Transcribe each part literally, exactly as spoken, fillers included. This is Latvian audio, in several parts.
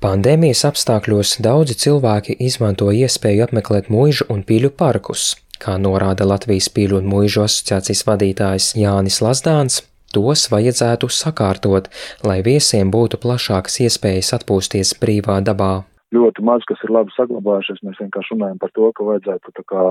Pandēmijas apstākļos daudzi cilvēki izmanto iespēju apmeklēt muižu un pīļu parkus. Kā norāda Latvijas pīļu un muižu asociācijas vadītājs Jānis Lazdāns, tos vajadzētu sakārtot, lai viesiem būtu plašākas iespējas atpūsties brīvā dabā. Ļoti maz, kas ir labi saglabājušies, mēs vienkārši runājam par to, ka vajadzētu tā kā,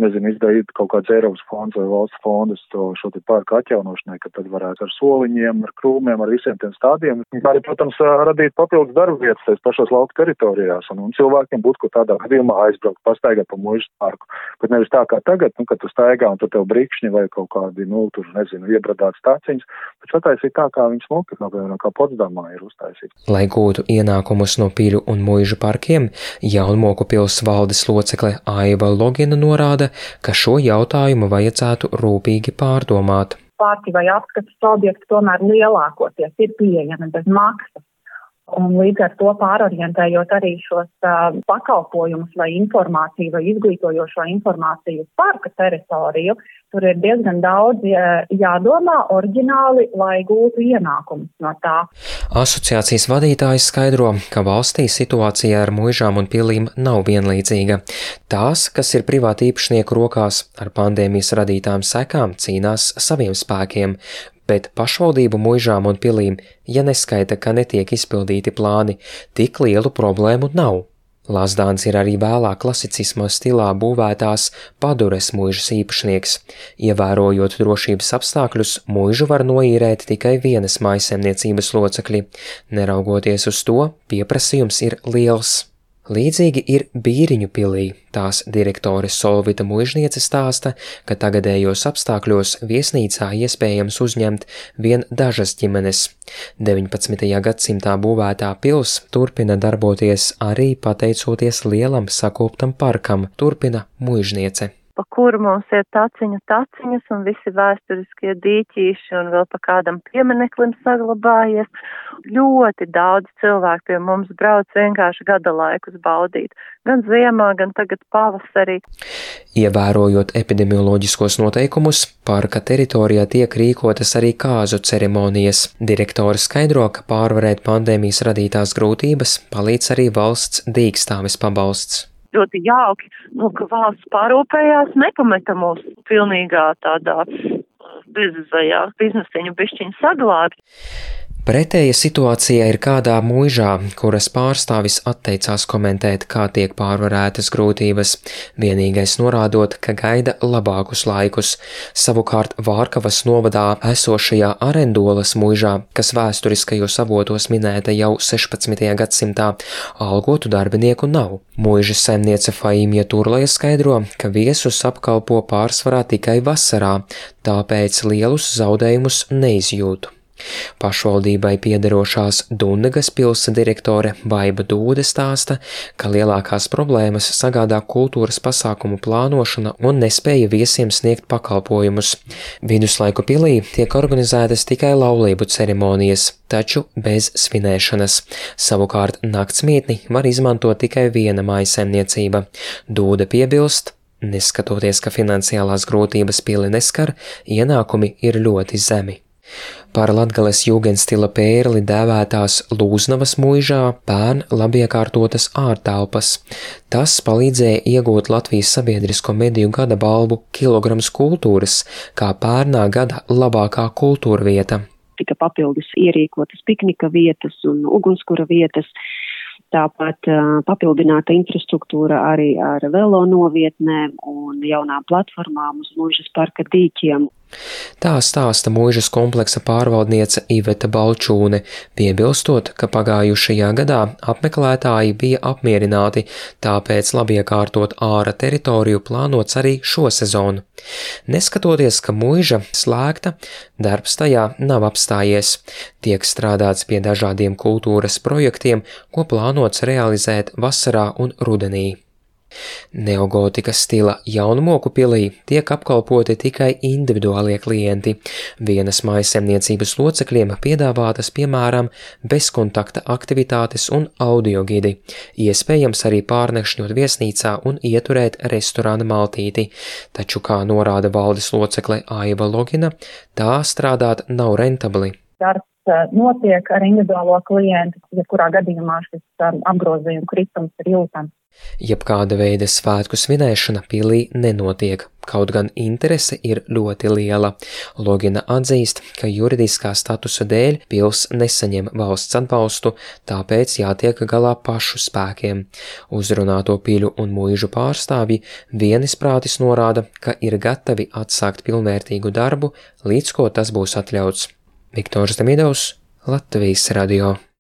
nezinu, izdarīt kaut kāds Eiropas fonds vai valsts fondus to šo te parku atjaunošanai, ka tad varētu ar soliņiem, ar krūmiem, ar visiem tiem stādiem, kā arī, protams, radīt papildus darba vietas tais pašos lauku teritorijās, un, un cilvēkiem būtu, ko tādā gadījumā aizbraukt, pastaigāt pa muižas parku, bet nevis tā kā tagad, nu, kad tu staigā un tur tev brikšņi vai kaut kādi, nu, tur, nezinu, iebradāts tāciņas, bet sataisīt tā, kā viņi smuki, kā, kā Potsdamā ir uztaisīt. Lai gūtu ienākumus no pīļu un muižu parkiem, Jaunmoku pils valdes locekle Aiva Logina norāda, ka šo jautājumu vajadzētu rūpīgi pārdomāt. Parki vai apskates objekti tomēr lielākoties ir pieejami bez maksas. Un līdz ar to pārorientējot arī šos uh, pakalpojumus vai informāciju vai izglītojošo informāciju uz parka teritoriju, tur ir diezgan daudz uh, jādomā oriģināli, lai gūtu ienākumus no tā. Asociācijas vadītājs skaidro, ka valstī situācija ar muižām un pilīm nav vienlīdzīga. Tās, kas ir privāti īpašnieku rokās, ar pandēmijas radītām sekām cīnās saviem spēkiem, bet pašvaldību muižām un pilīm, ja neskaita, ka netiek izpildīti plāni, tik lielu problēmu nav. Lazdāns ir arī vēlāk klasicisma stilā būvētās Padures muižas īpašnieks. Ievērojot drošības apstākļus, muižu var noīrēt tikai vienas mājsaimniecības locekļi. Neraugoties uz to, pieprasījums ir liels. Līdzīgi ir Bīriņu pilī. Tās direktore Solvita muižniece stāsta, ka tagadējos apstākļos viesnīcā iespējams uzņemt vien dažas ģimenes. deviņpadsmitajā gadsimtā būvētā pils turpina darboties arī pateicoties lielam sakoptam parkam, turpina muižniece. Pa kuru mums ir taciņu taciņas un visi vēsturiskie dīķīši un vēl pa kādam piemineklim saglabājies. Ļoti daudz cilvēku pie mums brauc vienkārši gada laikus baudīt, gan ziemā, gan tagad pavasarī. Ievērojot epidemioloģiskos noteikumus, parka teritorijā tiek rīkotas arī kāzu ceremonijas. Direktore skaidro, ka pārvarēt pandēmijas radītās grūtības palīdz arī valsts dīkstāves pabalsts. Ļoti jauki, nu, ka valsts pārūpējās, nepameta mūs pilnīgā tādā bezizējā biznesiņu bišķiņu saglābi. Pretēja situācija ir kādā muižā, kuras pārstāvis atteicās komentēt, kā tiek pārvarētas grūtības, vienīgais norādot, ka gaida labākus laikus. Savukārt Vārkavas novadā esošajā Arendolas muižā, kas vēsturiskajos avotos minēta jau sešpadsmitajā gadsimtā, algotu darbinieku nav. Muižas saimniece Faimija Turlaja skaidro, ka viesus apkalpo pārsvarā tikai vasarā, tāpēc lielus zaudējumus neizjūtu. Pašvaldībai piederošās Dunnegas pilsa direktore Baiba Dūde stāsta, ka lielākās problēmas sagādā kultūras pasākumu plānošana un nespēja viesiem sniegt pakalpojumus. Viduslaiku pilī tiek organizētas tikai laulību ceremonijas, taču bez svinēšanas. Savukārt naktsmītni var izmantot tikai viena mājsaimniecība. Dūde piebilst, neskatoties, ka finansiālās grūtības pili neskar, ienākumi ir ļoti zemi. Par Latgales jūgenstila pērli dēvētās Lūznavas muižā pērn labiekārtotas ārtelpas. Tas palīdzēja iegūt Latvijas sabiedrisko mediju gada balvu Kilograms kultūras, kā pērnā gada labākā kultūra vieta. Tika papildus ierīkotas piknika vietas un ugunskura vietas, tāpat uh, papildināta infrastruktūra arī ar velo novietnēm un jaunām platformām uz muižas parka dīķiem. Tā stāsta muižas kompleksa pārvaldniece Iveta Balčūne, piebilstot, ka pagājušajā gadā apmeklētāji bija apmierināti, tāpēc labiekārtot āra teritoriju plānots arī šo sezonu. Neskatoties, ka muiža slēgta, darbs tajā nav apstājies. Tiek strādāts pie dažādiem kultūras projektiem, ko plānots realizēt vasarā un rudenī. Neogotika stila Jaunmoku pilī tiek apkalpoti tikai individuālie klienti. Vienas mājsaimniecības locekļiem piedāvātas, piemēram, bezkontakta aktivitātes un audiogidi, iespējams arī pārnakšņot viesnīcā un ieturēt restorāna maltīti, taču, kā norāda valdes locekle Aiva Logina, tā strādāt nav rentabli. Darbs notiek ar individuālo klientu, jebkurā gadījumā šis apgrozījuma kritums ir jūtams. Jebkāda veida svētku svinēšana pilī nenotiek, kaut gan interese ir ļoti liela. Logina atzīst, ka juridiskā statusa dēļ pils nesaņem valsts atbalstu, tāpēc jātiek galā pašu spēkiem. Uzrunāto piļu un muižu pārstāvji vienisprātis norāda, ka ir gatavi atsākt pilnvērtīgu darbu, līdz ko tas būs atļauts. Viktors Demidovs, Latvijas radio.